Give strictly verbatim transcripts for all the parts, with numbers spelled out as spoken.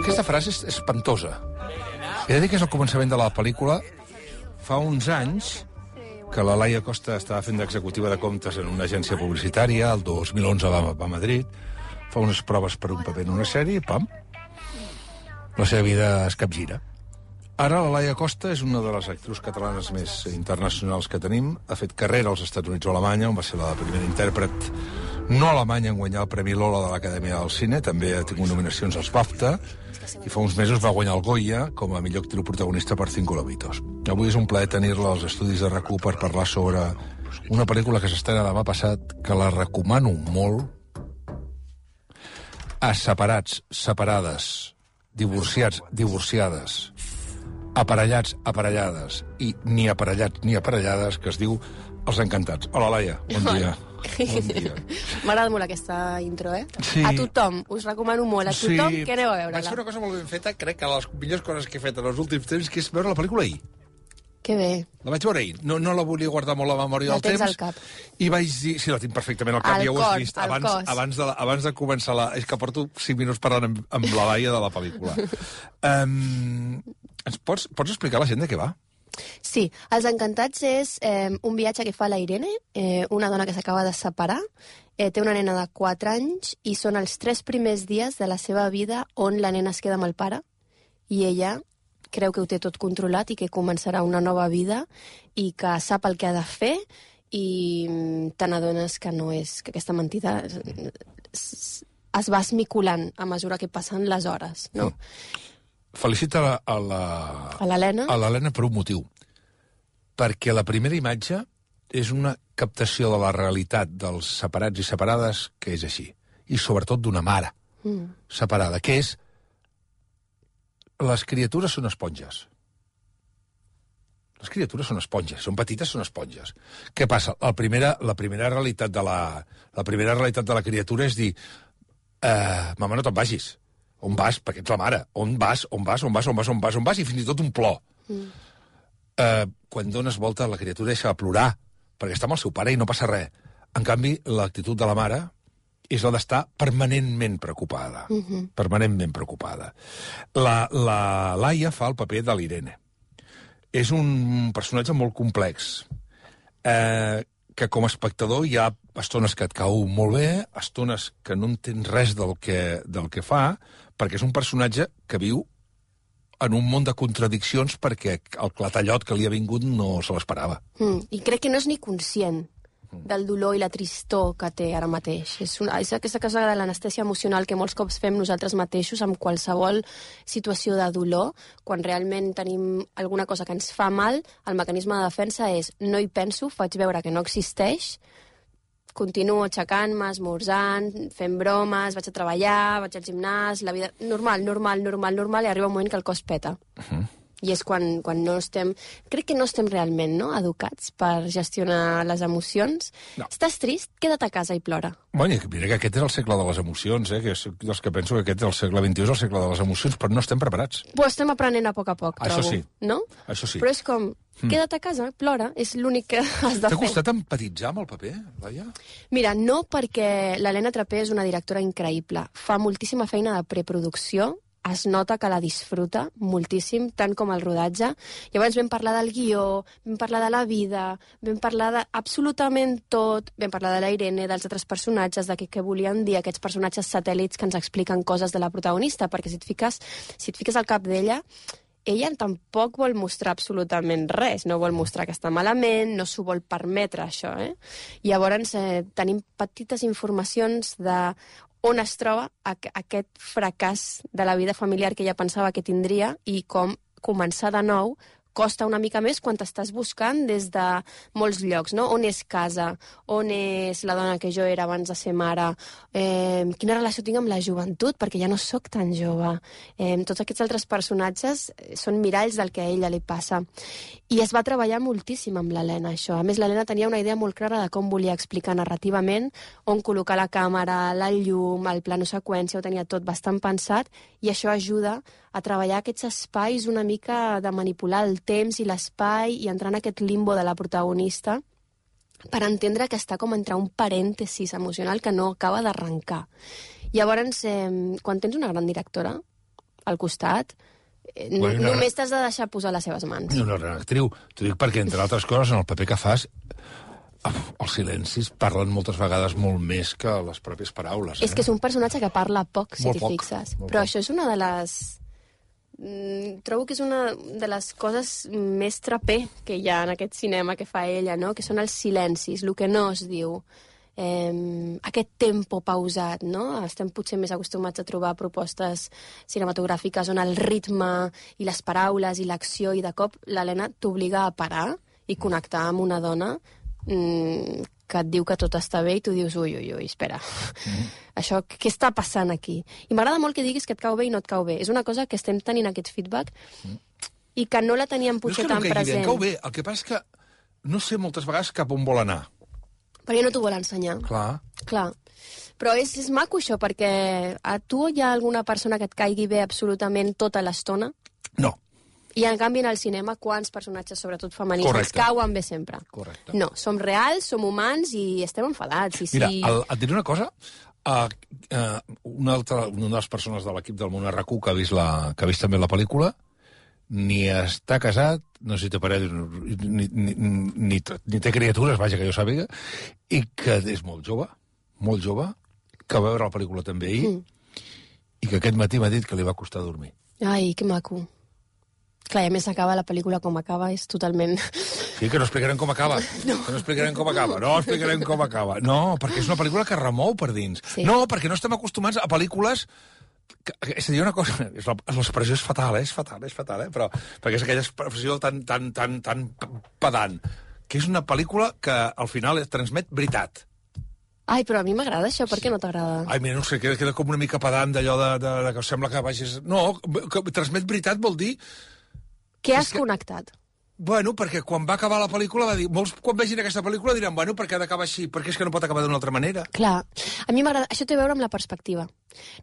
Aquesta frase és espantosa. He de dir que és el començament de la pel·lícula. Fa uns anys que la Laia Costa estava fent d'executiva de comptes en una agència publicitària, el dos mil onze va, va a Madrid, fa unes proves per un paper en una sèrie i pam, la seva vida es capgira. Ara la Laia Costa és una de les actrius catalanes més internacionals que tenim, ha fet carrera als Estats Units o Alemanya, on va ser la primera intèrpret no alemanya en guanyar el Premi Lola de l'Acadèmia del Cine, també ha tingut nominacions als BAFTA, i fa uns mesos va guanyar el Goya com a millor actriu protagonista per Cinco Lobitos. Avui és un plaer tenir-la als estudis de RAC u per parlar sobre una pel·lícula que s'estrena demà passat, que la recomano molt, a separats, separades, divorciats, divorciades, aparellats, aparellades i ni aparellats ni aparellades, que es diu Els Encantats. Hola, Laia, bon dia. Bon dia. M'agrada molt aquesta intro, eh? Sí. A tothom, us recomano molt. A tothom, Sí. que aneu a veure-la. Vaig fer una cosa molt ben feta, crec que les millors coses que he fet en els últims temps, que és veure la pel·lícula ahir. Que bé. La vaig veure ahir. No, no la volia guardar molt a la memòria La del tens temps. al cap. I vaig dir... Sí, la tinc perfectament al cap, Al ja ho cor, has vist. al Abans, cos. abans, de la, abans de començar la... És que porto cinc minuts parlant amb, amb la Laia de la pel·lícula. um, ens pots, pots explicar a la gent de què va? Sí, Els Encantats és eh, un viatge que fa la Irene, eh, una dona que s'acaba de separar, eh, té una nena de quatre anys i són els tres primers dies de la seva vida on la nena es queda amb el pare i ella creu que ho té tot controlat i que començarà una nova vida i que sap el que ha de fer i mm, te n'adones que no és, que aquesta mentida es, es va esmiculant a mesura que passen les hores, no? Mm. Felicita a la- a la- A l'Helena? a l'Helena per un motiu. Perquè la primera imatge és una captació de la realitat dels separats i separades que és així. I sobretot d'una mare Mm. separada, que és... Les criatures són esponges. Les criatures són esponges, són petites, són esponges. Què passa? La primera, la primera realitat de la, la primera realitat de la criatura és dir eh, mama, no te'n vagis. On vas? Perquè ets la mare. On vas? On vas? On vas? On vas? On vas? On vas? I fins i tot un plor. Mm. Eh, quan dones volta, la criatura deixa de plorar, perquè està amb el seu pare i no passa res. En canvi, l'actitud de la mare és la d'estar permanentment preocupada. Mm-hmm. Permanentment preocupada. La, la Laia fa el paper de l'Irene. És un personatge molt complex, eh, que com a espectador hi ha estones que et cau molt bé, estones que no entens res del que, del que fa, perquè és un personatge que viu en un món de contradiccions perquè el clatallot que li ha vingut no se l'esperava. Mm. I crec que no és ni conscient del dolor i la tristor que té ara mateix. És, una, és aquesta cosa de l'anestèsia emocional que molts cops fem nosaltres mateixos amb qualsevol situació de dolor. Quan realment tenim alguna cosa que ens fa mal, el mecanisme de defensa és no hi penso, faig veure que no existeix, continuo aixecant-me, esmorzant, fent bromes, vaig a treballar, vaig al gimnàs, la vida... Normal, normal, normal, normal, i arriba un moment que el cos peta. Uh-huh. I és quan, quan no estem... Crec que no estem realment no, educats per gestionar les emocions. No. Estàs trist? Queda't a casa i plora. Bueno, mira que aquest és el segle de les emocions, eh? Que és dels que penso que aquest és el segle vint-i-u, és el segle de les emocions, però no estem preparats. Ho estem aprenent a poc a poc, Això trobo. sí. No? Això sí. Però és com... Queda't a casa, plora, és l'únic que has de T'ha fer. costat empatitzar amb el paper, Laia? Mira, no, perquè l'Helena Trapé és una directora increïble. Fa moltíssima feina de preproducció, es nota que la disfruta moltíssim, tant com el rodatge. Llavors vam parlar del guió, vam parlar de la vida, vam parlar de absolutament tot, vam parlar de la Irene, dels altres personatges, de què, què volien dir aquests personatges satèl·lits que ens expliquen coses de la protagonista, perquè si et fiques, si et fiques al cap d'ella, ella tampoc vol mostrar absolutament res, no vol mostrar que està malament, no s'ho vol permetre, això, eh? Llavors eh, tenim petites informacions de on es troba aquest fracàs de la vida familiar que ella pensava que tindria i com començar de nou costa una mica més quan t'estàs buscant des de molts llocs, no? On és casa? On és la dona que jo era abans de ser mare? Eh, quina relació tinc amb la joventut? Perquè ja no sóc tan jove. Eh, tots aquests altres personatges són miralls del que a ella li passa. I es va treballar moltíssim amb l'Helena, això. A més, l'Helena tenia una idea molt clara de com volia explicar narrativament, on col·locar la càmera, la llum, el plano seqüència, ho tenia tot bastant pensat, i això ajuda a treballar aquests espais una mica de manipular el temps i l'espai i entrar en aquest limbo de la protagonista per entendre que està com entre un parèntesis emocional que no acaba d'arrencar. Llavors, eh, quan tens una gran directora, al costat, bueno, una... només t'has de deixar posar les seves mans. I una gran actriu. T'ho dic perquè, entre altres coses, en el paper que fas, els silencis parlen moltes vegades molt més que les pròpies paraules. Eh? És que és un personatge que parla poc, si t'hi fixes. Però poc. Això és una de les... Mm, trobo que és una de les coses més trapé que hi ha en aquest cinema que fa ella, no? Que són els silencis, el que no es diu. Eh, aquest tempo pausat, no? Estem potser més acostumats a trobar propostes cinematogràfiques on el ritme i les paraules i l'acció, i de cop l'Helena t'obliga a parar i connectar amb una dona mm, que et diu que tot està bé i tu dius, ui, ui, ui, espera, mm. això, què està passant aquí? I m'agrada molt que diguis que et cau bé i no et cau bé. És una cosa que estem tenint aquest feedback mm. i que no la teníem potser no tan present. Bé, cau bé, el que passa és que no sé moltes vegades cap on vol anar. Perquè no t'ho vol ensenyar. Clar. Clar. Però és, és maco això, perquè a tu hi ha alguna persona que et caigui bé absolutament tota l'estona? No. I en canvi en el cinema, quants personatges, sobretot femenins, ens cauen bé sempre? Correcte. No, som reals, som humans i estem enfadats. I Mira, si... el, et diré una cosa. Uh, uh, una, altra, una de les persones de l'equip del Món R Q que ha vist, la, que ha vist també la pel·lícula ni està casat, no sé si té parella, ni, ni, ni, ni, ni té criatures, vaja, que jo sàpiga, i que és molt jove, molt jove, que va veure la pel·lícula també ahir, mm. i que aquest matí m'ha dit que li va costar dormir. Ai, que maco. Clar, i a més acaba la pel·lícula com acaba, és totalment... Sí, que no explicarem com acaba. No. Que no explicarem com acaba. No explicarem com acaba. No, perquè és una pel·lícula que remou per dins. Sí. No, perquè no estem acostumats a pel·lícules... Que, és a dir, una cosa... L'expressió és fatal, eh? És fatal, és fatal, eh? Però, perquè és aquella expressió tan, tan, tan, tan pedant, que és una pel·lícula que al final es transmet veritat. Ai, però a mi m'agrada això, per què sí. no t'agrada? Ai, mira, no sé, queda, queda com una mica pedant d'allò de, de, de que sembla que vagis... No, que transmet veritat vol dir... Què has que... connectat? Bueno, perquè quan va acabar la pel·lícula va dir... Molts, quan vegin aquesta pel·lícula, diran, bueno, per què ha d'acabar així? Perquè és que no pot acabar d'una altra manera. Clar. A mi m'agrada... Això té a veure amb la perspectiva.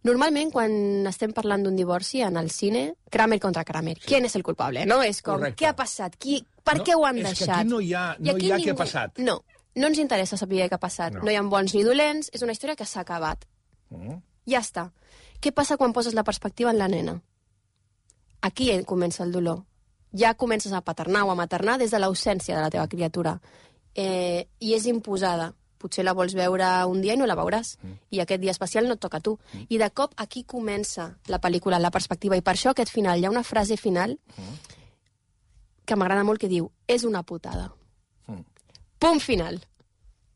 Normalment, quan estem parlant d'un divorci en el cine, Kramer contra Kramer. Sí. Qui és el culpable? No? És com, Correcte. Què ha passat? Qui... Per no, què ho han és deixat? És que aquí no hi ha, no hi ha ningú... què ha passat. No, no ens interessa saber què ha passat. No, no hi ha bons ni dolents, és una història que s'ha acabat. Mm. Ja està. Què passa quan poses la perspectiva en la nena? Aquí comença el dolor. Ja comences a paternar o a maternar des de l'ausència de la teva criatura. Eh, I és imposada. Potser la vols veure un dia i no la veuràs. Mm. I aquest dia especial no et toca a tu. Mm. I de cop aquí comença la pel·lícula, la perspectiva. I per això aquest final, hi ha una frase final mm. que m'agrada molt que diu, és una putada. Mm. Punt final.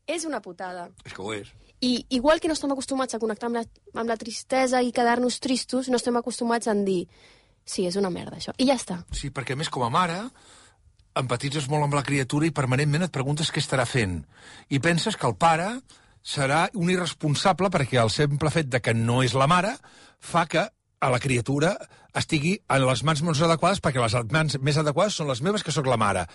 És una putada. És que ho és. I igual que no estem acostumats a connectar amb la, amb la tristesa i quedar-nos tristos, no estem acostumats a dir sí, és una merda, això. I ja està. Sí, perquè, a més, com a mare, empatitzes molt amb la criatura i permanentment et preguntes què estarà fent. I penses que el pare serà un irresponsable perquè el simple fet de que no és la mare fa que a la criatura estigui en les mans més adequades, perquè les mans més adequades són les meves, que sóc la mare.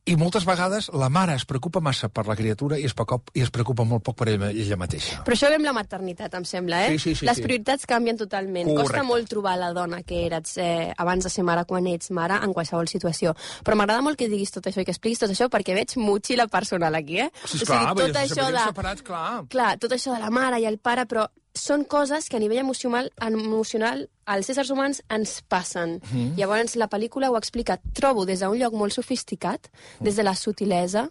I moltes vegades la mare es preocupa massa per la criatura i es, preocupa, i es preocupa molt poc per ella, ella mateixa. Però això ve amb la maternitat, em sembla, eh? Sí, sí, sí, Les sí. prioritats canvien totalment. Correcte. Costa molt trobar la dona que eres eh, abans de ser mare quan ets mare en qualsevol situació. Però m'agrada molt que diguis tot això i que expliquis tot això perquè veig motxilla personal aquí, eh? Sí, esclar, o sigui, tot això de... separats, clar. Clar, tot això de la mare i el pare, però són coses que a nivell emocional, emocional als éssers humans ens passen. Mm. Llavors la pel·lícula ho explica, trobo, des d'un lloc molt sofisticat, des de la sutilesa,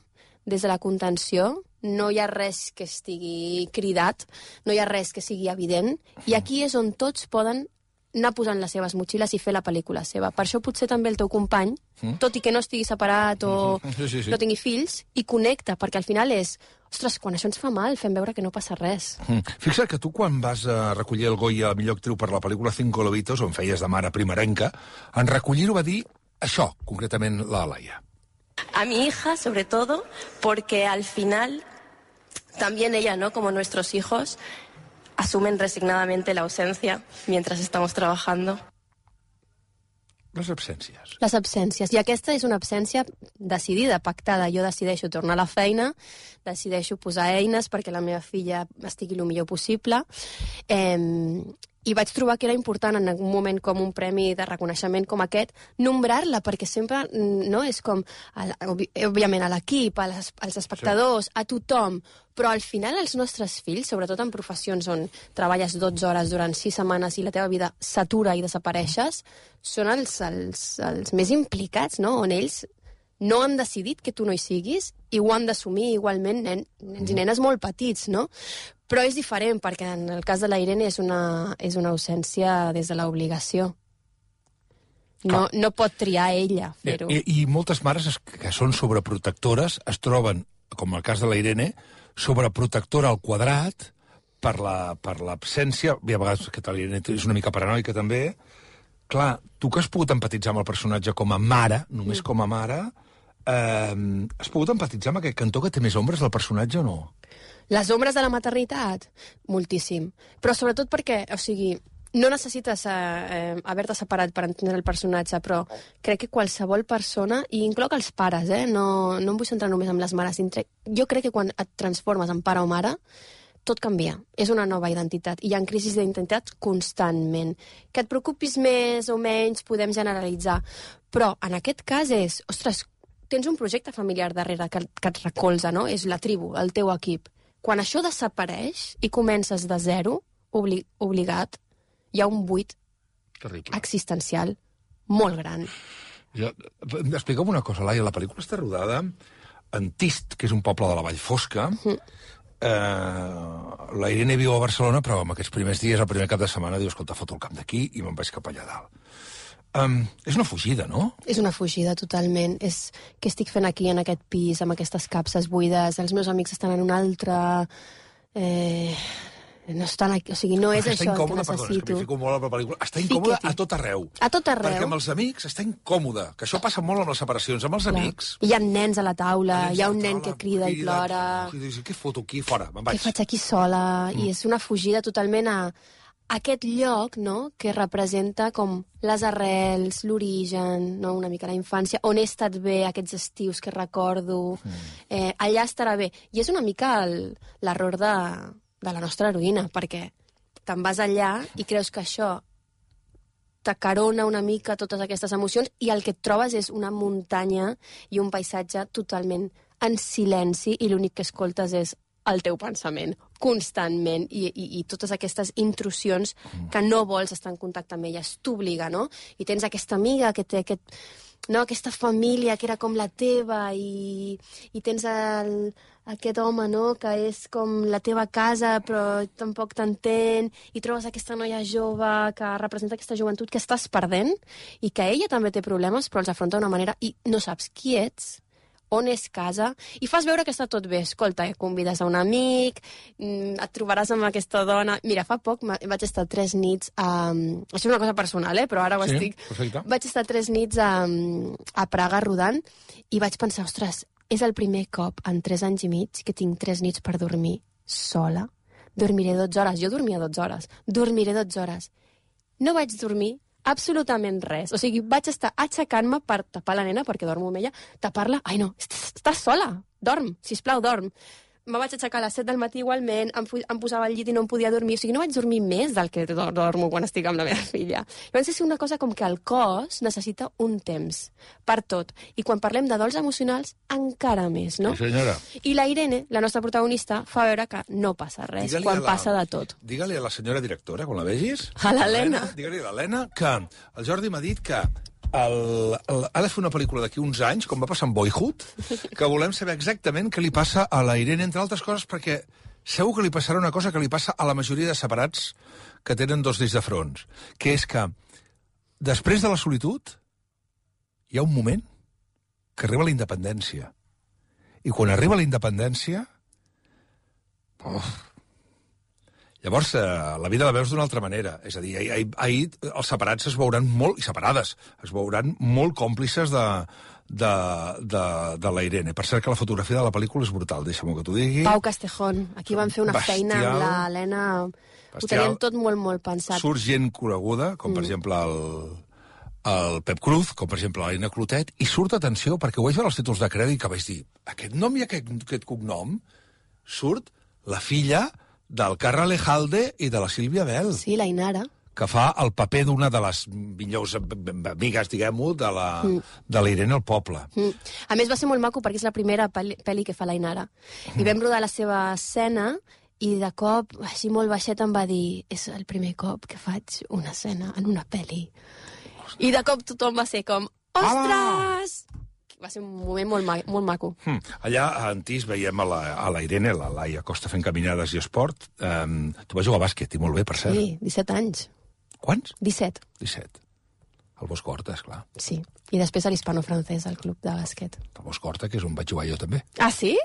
des de la contenció, no hi ha res que estigui cridat, no hi ha res que sigui evident, i aquí és on tots poden anar posant les seves motxilles i fer la pel·lícula seva. Per això potser també el teu company, mm. tot i que no estigui separat o sí, sí, sí. no tingui fills, i connecta, perquè al final és ostres, quan això ens fa mal, fem veure que no passa res. Mm. Fixa't que tu, quan vas a recollir el Goya a millor actriu per la pel·lícula Cinco Lobitos, on feies de mare primerenca, en recollir-ho va dir això, concretament la Laia. A mi hija, sobre todo, porque al final, también ella, ¿no?, como nuestros hijos, asumen resignadamente la ausencia mientras estamos trabajando. Les absències. Les absències. I aquesta és una absència decidida, pactada. Jo decideixo tornar a la feina, decideixo posar eines perquè la meva filla estigui el millor possible. Eh, I vaig trobar que era important en un moment com un premi de reconeixement com aquest, nombrar-la, perquè sempre no és com, òbviament, a l'equip, als espectadors, a tothom, però al final els nostres fills, sobretot en professions on treballes dotze hores durant sis setmanes i la teva vida s'atura i desapareixes, són els, els, els més implicats, no? On ells no han decidit que tu no hi siguis i ho han d'assumir igualment nen, nens i nenes molt petits, no? Però és diferent, perquè en el cas de la Irene és una, és una ausència des de l'obligació. No, no pot triar ella fer-ho. I, I moltes mares que són sobreprotectores es troben, com el cas de la Irene, sobreprotectora al quadrat per l'absència, la, i a vegades que la Irene és una mica paranoica també. Clar, tu que has pogut empatitzar amb el personatge com a mare, només mm. com a mare, eh, has pogut empatitzar amb aquest cantó que té més ombres del personatge o no? Les ombres de la maternitat? Moltíssim. Però sobretot perquè, o sigui, no necessites eh, eh, haver-te separat per entendre el personatge, però crec que qualsevol persona, i incloc els pares, eh, no, no em vull centrar només en les mares, jo crec que quan et transformes en pare o mare, tot canvia. És una nova identitat. I hi ha crisis d'identitat constantment. Que et preocupis més o menys, podem generalitzar. Però en aquest cas és, ostres, tens un projecte familiar darrere que, que et recolza, no? És la tribu, el teu equip. Quan això desapareix i comences de zero, obli obligat, hi ha un buit terrible, existencial molt gran. Ja, explica'm una cosa, Laia. La pel·lícula està rodada en Tist, que és un poble de la Vall Fosca. Mm. Eh, la Irene viu a Barcelona, però en aquests primers dies, el primer cap de setmana, diu, escolta, foto el camp d'aquí i me'n vaig cap allà dalt. Um, és una fugida, no? És una fugida, totalment. És què estic fent aquí, en aquest pis, amb aquestes capses buides, els meus amics estan en un altre... Eh... No estan aquí, o sigui, no és està això incòmode, el que necessito. Perdona, és que m'hi fico molt a la pel·lícula. Està incòmode a tot arreu. A tot arreu. Perquè amb els amics està incòmode, que això passa molt amb les separacions. Amb els Clar. amics... Hi ha nens a la taula, hi ha un nen que crida i plora... Què foto aquí? Fora, me'n vaig. Què faig aquí sola? Mm. I és una fugida totalment a aquest lloc, no?, que representa com les arrels, l'origen, no?, una mica la infància, on he estat bé, aquests estius que recordo, mm. eh, allà estarà bé. I és una mica l'error de, de la nostra heroïna, perquè te'n vas allà i creus que això t'acarona una mica totes aquestes emocions i el que et trobes és una muntanya i un paisatge totalment en silenci i l'únic que escoltes és el teu pensament, constantment, i, i, i totes aquestes intrusions que no vols estar en contacte amb elles, t'obliga, no? I tens aquesta amiga que té aquest, no, aquesta família que era com la teva, i, i tens el, aquest home, no?, que és com la teva casa, però tampoc t'entén, i trobes aquesta noia jove que representa aquesta joventut que estàs perdent, i que ella també té problemes, però els afronta d'una manera, i no saps qui ets, on és casa, i fas veure que està tot bé. Escolta, convides a un amic, et trobaràs amb aquesta dona... Mira, fa poc vaig estar tres nits a... Això és una cosa personal, eh? Però ara ho sí, estic... Perfecte. Vaig estar tres nits a, a Praga rodant i vaig pensar, ostres, és el primer cop en tres anys i mig que tinc tres nits per dormir sola. Dormiré dotze hores. Jo dormia dotze hores. Dormiré dotze hores. No vaig dormir absolutament res. O sigui, vaig estar aixecant-me per tapar la nena, perquè dormo amb ella, tapar-la... Ai, no, estàs sola, dorm, sisplau, dorm. Me vaig aixecar a les set del matí igualment, em, em posava al llit i no em podia dormir, o sigui, no vaig dormir més del que dormo quan estic amb la meva filla. Llavors és una cosa com que el cos necessita un temps per tot. I quan parlem de dols emocionals, encara més, no? Sí, senyora. I la Irene, la nostra protagonista, fa veure que no passa res, quan la, passa de tot. Digue-li a la senyora directora, quan la vegis... A l'Helena. Digue-li a l'Helena que el Jordi m'ha dit que El, el, ha de fer una pel·lícula d'aquí uns anys, com va passar amb Boyhood, que volem saber exactament què li passa a la Irene, entre altres coses, perquè segur que li passarà una cosa que li passa a la majoria de separats que tenen dos discs de fronts, que és que després de la solitud hi ha un moment que arriba la independència. I quan arriba la independència... Oh, llavors, eh, la vida la veus d'una altra manera. És a dir, ahir, ahir els separats es veuran molt, i separades, es veuran molt còmplices de, de, de, de la Irene. Per cert que la fotografia de la pel·lícula és brutal, deixa'm que t'ho digui. Pau Castejón. Aquí van fer una bestial, feina amb l'Helena. Ho tenien tot molt, molt pensat. Surt gent coneguda, com per mm. exemple el, el Pep Cruz, com per exemple l'Helena Clotet, i surt, atenció, perquè ho vaig veure els títols de crèdit que vaig dir, aquest nom i aquest, aquest cognom, surt la filla del Carra Lejalde i de la Sílvia Bell, Sí, la Inara. que fa el paper d'una de les millors amigues, diguem-ho, de la, mm. de la Irene al poble. Mm. A més, va ser molt maco perquè és la primera pel·li, pel·li que fa la Inara. Mm. I vam rodar la seva escena i de cop, així molt baixet, em va dir és el primer cop que faig una escena en una pel·li. I de cop tothom va ser com, ostres! Va ser un moment molt, ma molt maco. Mm. Allà a Antís veiem a la, a la Irene, la Laia Costa fent caminades i esport. Um, tu vas jugar a bàsquet, i molt bé, per cert. Sí, disset anys. Quants? disset. disset. El Bosc Horta, esclar. Sí. I després a l'Hispano-Francès, al club de bàsquet. El Bosc Horta, que és on vaig jugar jo també. Ah, sí?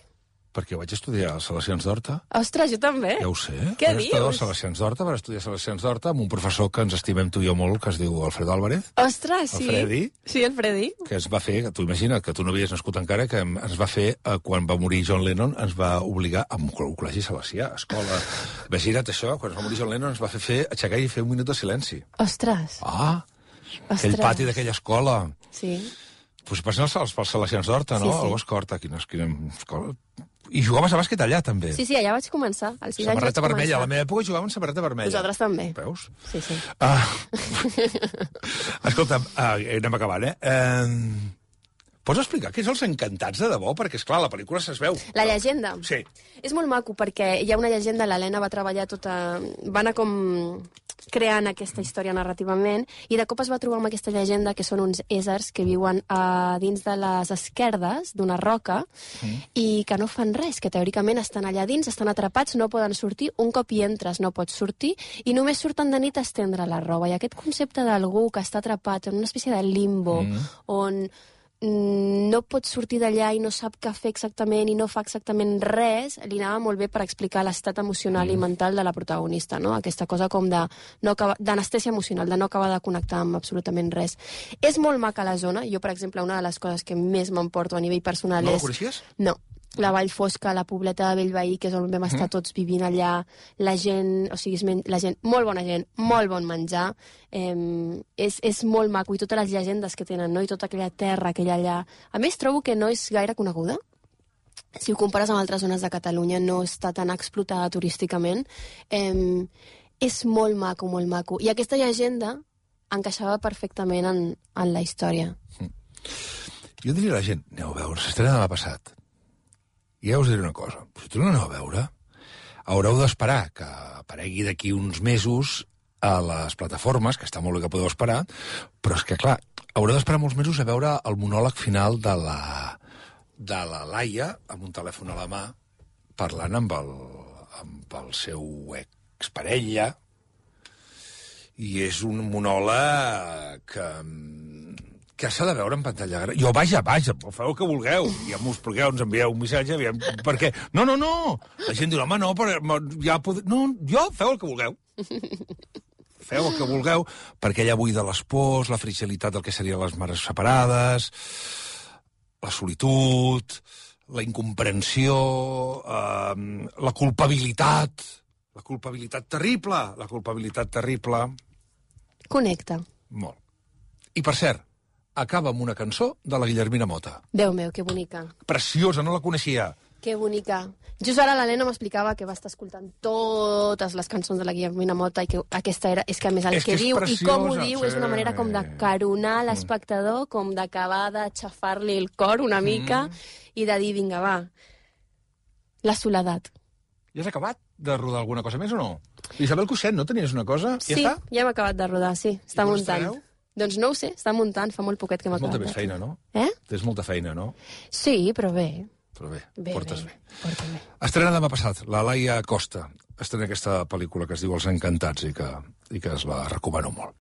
Perquè vaig estudiar a Salesians d'Horta. Ostres, jo també. Ja ho sé. Què vaig estudiar a dius? Salesians d'Horta, vaig estudiar a Salesians d'Horta amb un professor que ens estimem tu i jo molt, que es diu Alfredo Álvarez. Ostres, sí. El Freddy. Sí, el Freddy. Que es va fer, que tu imagina't, que tu no havies nascut encara, que ens va fer, eh, quan va morir John Lennon, ens va obligar a un col·legi salesià, escola... Imagina't això, quan es va morir John Lennon ens va fer, fer aixecar i fer un minut de silenci. Ostres. Ah, Ostres. aquell pati d'aquella escola. Sí. Pues passen els, els, els Salesians d'Horta, no? Sí, sí. El Bosc Horta, quina, quina escola... I jugaves a bàsquet allà, també. Sí, sí, allà vaig començar. Als sis anys vaig Samarreta vermella. començar. A la meva època jugàvem samarreta vermella. Nosaltres també. Veus? Sí, sí. Ah. Escolta'm, ah, anem acabant, eh? eh? Pots explicar què és Els Encantats de debò? Perquè, esclar, la pel·lícula se'ls veu. La llegenda? Sí. És molt maco perquè hi ha una llegenda, l'Helena va treballar tota... Va anar com creant aquesta història narrativament i de cop es va trobar amb aquesta llegenda que són uns éssers que viuen a dins de les esquerdes d'una roca mm. i que no fan res, que teòricament estan allà dins, estan atrapats, no poden sortir, un cop hi entres no pots sortir i només surten de nit a estendre la roba. I aquest concepte d'algú que està atrapat en una espècie de limbo mm. on no pot sortir d'allà i no sap què fer exactament i no fa exactament res, li anava molt bé per explicar l'estat emocional mm. i mental de la protagonista, no? Aquesta cosa com de no d'anestèsia emocional, de no acabar de connectar amb absolutament res. És molt maca la zona. Jo, per exemple, una de les coses que més m'emporto a nivell personal no és... No la coneixies? No. La Vall Fosca, la pobleta de Bellveí, que és on vam estar mm. tots vivint allà, la gent, o sigui, la gent, molt bona gent, molt bon menjar, eh, és, és molt maco, i totes les llegendes que tenen, no? I tota aquella terra que hi ha allà. A més, trobo que no és gaire coneguda. Si ho compares amb altres zones de Catalunya, no està tan explotada turísticament. Eh, és molt maco, molt maco. I aquesta llegenda encaixava perfectament en, en la història. Mm. Jo diria a la gent, aneu a veure, s'estrena demà passat. I ja us diré una cosa, si tu no aneu a veure, haureu d'esperar que aparegui d'aquí uns mesos a les plataformes, que està molt bé que podeu esperar, però és que, clar, haureu d'esperar molts mesos a veure el monòleg final de la, de la Laia, amb un telèfon a la mà, parlant amb el, amb el seu exparella, i és un monòleg que... que s'ha de veure en pantalla gran. Jo, vaja, vaja, feu el que vulgueu. Ja m'ho expliqueu, ens envieu un missatge, aviam, perquè... No, no, no! La gent diu, home, no, però ja pod... No, jo, feu el que vulgueu. Feu el que vulgueu, perquè allà buida les pors, la fragilitat del que serien les mares separades, la solitud, la incomprensió, eh, la culpabilitat, la culpabilitat terrible, la culpabilitat terrible... Connecta. Molt. I, per cert, acaba amb una cançó de la Guillermina Mota. Déu meu, que bonica. Preciosa, no la coneixia. Que bonica. Just ara l'Helena m'explicava que va estar escoltant totes les cançons de la Guillermina Mota i que aquesta era... És que a més el és que, que diu preciosa, i com ho diu sí. és una manera com de caronar l'espectador, com d'acabar d'aixafar-li el cor una mica mm. i de dir, vinga, va, la soledat. Ja has acabat de rodar alguna cosa més o no? Isabel Cuixent, no tenies una cosa? Sí, ja està? ja hem acabat de rodar, sí. Està I muntant. Doncs no ho sé, està muntant, fa molt poquet que hem Tens acabat. molta més feina, no? Eh? Tens molta feina, no? Sí, però bé. Però bé, Bé, portes bé. bé. Porta bé. Estrena demà passat, la Laia Costa. Estrena aquesta pel·lícula que es diu Els Encantats i que, i que es la recomano molt.